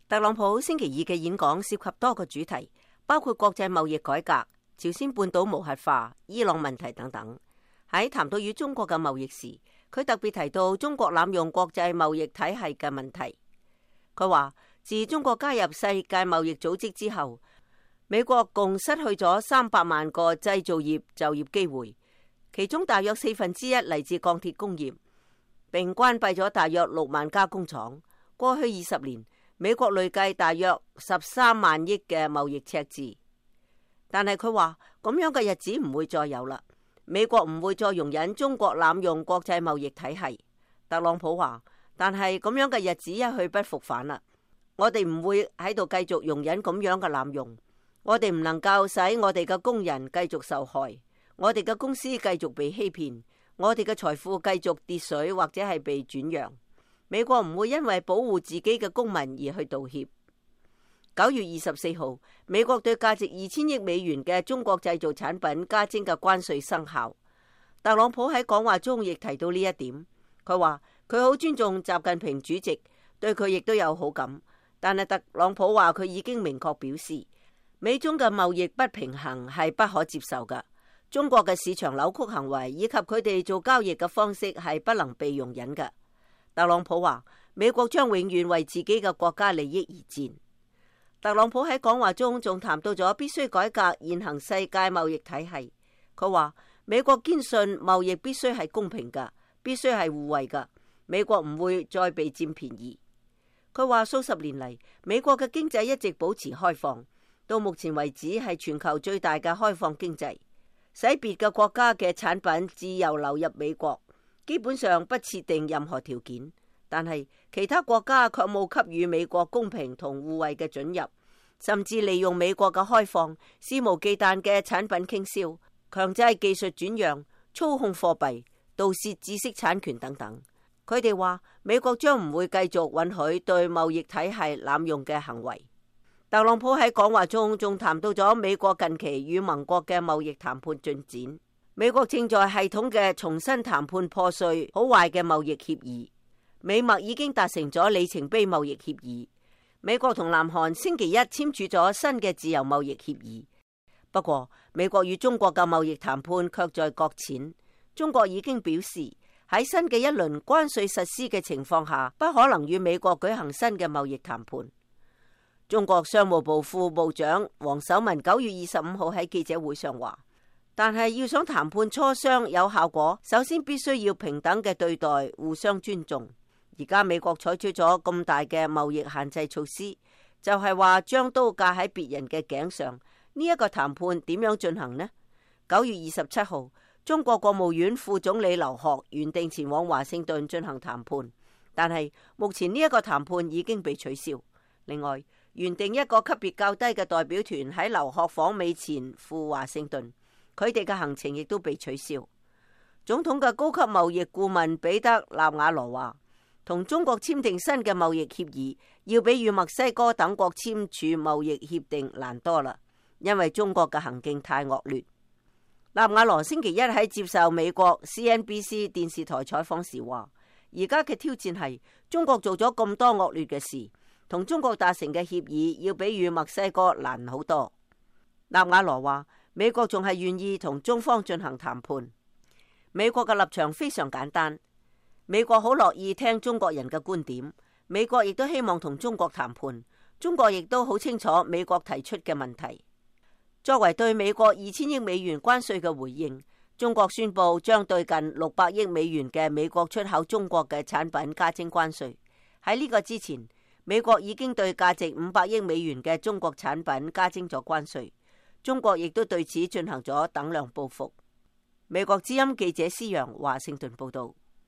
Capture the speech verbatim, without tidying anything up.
特朗普星期二嘅演講涉及多個主題，包括國際貿易改革、朝鮮半島無核化、伊朗問題等等。喺談到與中國嘅貿易時，佢特別提到中國濫用國際貿易體系嘅問題。佢話自中國加入世界貿易組織之後，美國共失去咗三百萬個製造業就業機會，其中大約四分之一嚟自鋼鐵工業，並關閉咗大約六萬家工廠。過去二十年，美國累計大約十三萬億嘅貿易赤字。但係佢話咁樣嘅日子唔會再有啦，美國唔會再容忍中國濫用國際貿易體系。特朗普話，但係咁樣嘅日子一去不復返啦，我哋唔會喺度繼續容忍咁樣嘅濫用。我哋唔能夠使我哋嘅工人繼續受害，我哋嘅公司繼續被欺騙，我哋嘅財富繼續跌水或者係被轉讓。美國唔會因為保護自己嘅公民而去道歉。九月二十四號，美國對價值二千億美元嘅中國製造產品加徵嘅關稅生效。特朗普喺講話中亦提到呢一點，佢話佢好尊重習近平主席，對佢亦都有好感。但係特朗普話佢已經明確表示，美中嘅貿易不平衡係不可接受嘅，中國嘅市場扭曲行為以及佢哋做交易嘅方式係不能被容忍嘅。特朗普話美國將永遠為自己嘅國家利益而戰。特朗普喺講話中仲談到咗必須改革現行世界貿易體系。佢話美國堅信貿易必須係公平嘅，必須係互惠嘅，美國唔會再被佔便宜。佢話數十年嚟，美國嘅經濟一直保持開放，到目前為止係全球最大嘅開放經濟，使別嘅國家嘅產品自由流入美國，基本上不設定任何條件。但係其他國家卻冇給予美國公平同互惠嘅准入，甚至利用美國嘅開放，肆無忌憚嘅產品傾銷，強制技術轉讓，操控貨幣，盜竊知識產權等等。佢哋話美國將唔會繼續允許對貿易體系濫用嘅行為。特朗普喺講話中仲談到咗美國近期與盟國嘅貿易談判進展。美國正在系統嘅重新談判破碎好壞嘅貿易協議。美墨已經達成咗里程碑貿易協議。美國同南韓星期一簽署咗新嘅自由貿易協議。不過，美國與中國嘅貿易談判卻在擱淺。中國已經表示喺新嘅一輪關稅實施嘅情況下，不可能與美國舉行新嘅貿易談判。中國商務部副部長王守文九月二十五號喺記者會上話，但係要想談判磋商有效果，首先必須要平等嘅對待，互相尊重。而家美國採取咗咁大嘅貿易限制措施，就係話將刀架喺別人嘅頸上。呢一個談判點樣進行呢？九月二十七號，中國國務院副總理劉鶴原定前往華盛頓進行談判，但係目前呢一個談判已經被取消。另外，原定一個級別較低嘅代表團喺劉鶴訪美前赴華盛頓，佢哋嘅行程亦都被取消。總統嘅高級貿易顧問彼得納瓦羅話，同中國簽訂新嘅貿易協議，要比與墨西哥等國簽署貿易協定難多啦，因為中國嘅行徑太惡劣。納瓦羅星期一喺接受美國 C N B C 電視台採訪時話，而家嘅挑戰係中國做咗咁多惡劣嘅事，同中國達成嘅協議要比與墨西哥難好多。納瓦羅話，美國仲係願意同中方進行談判。美國嘅立場非常簡單，美國好樂意聽中國人嘅觀點，美國亦都希望同中國談判，中國亦都好清楚美國提出嘅問題。作為對美國二千億美元關稅嘅回應，中國宣布將對近六百億美元嘅美國出口中國嘅產品加徵關稅。喺呢個之前，美國已經對價值五百億美元嘅中國產品加徵咗關稅，中國亦都對此進行咗等量報復。美國之音記者施陽華盛頓報道。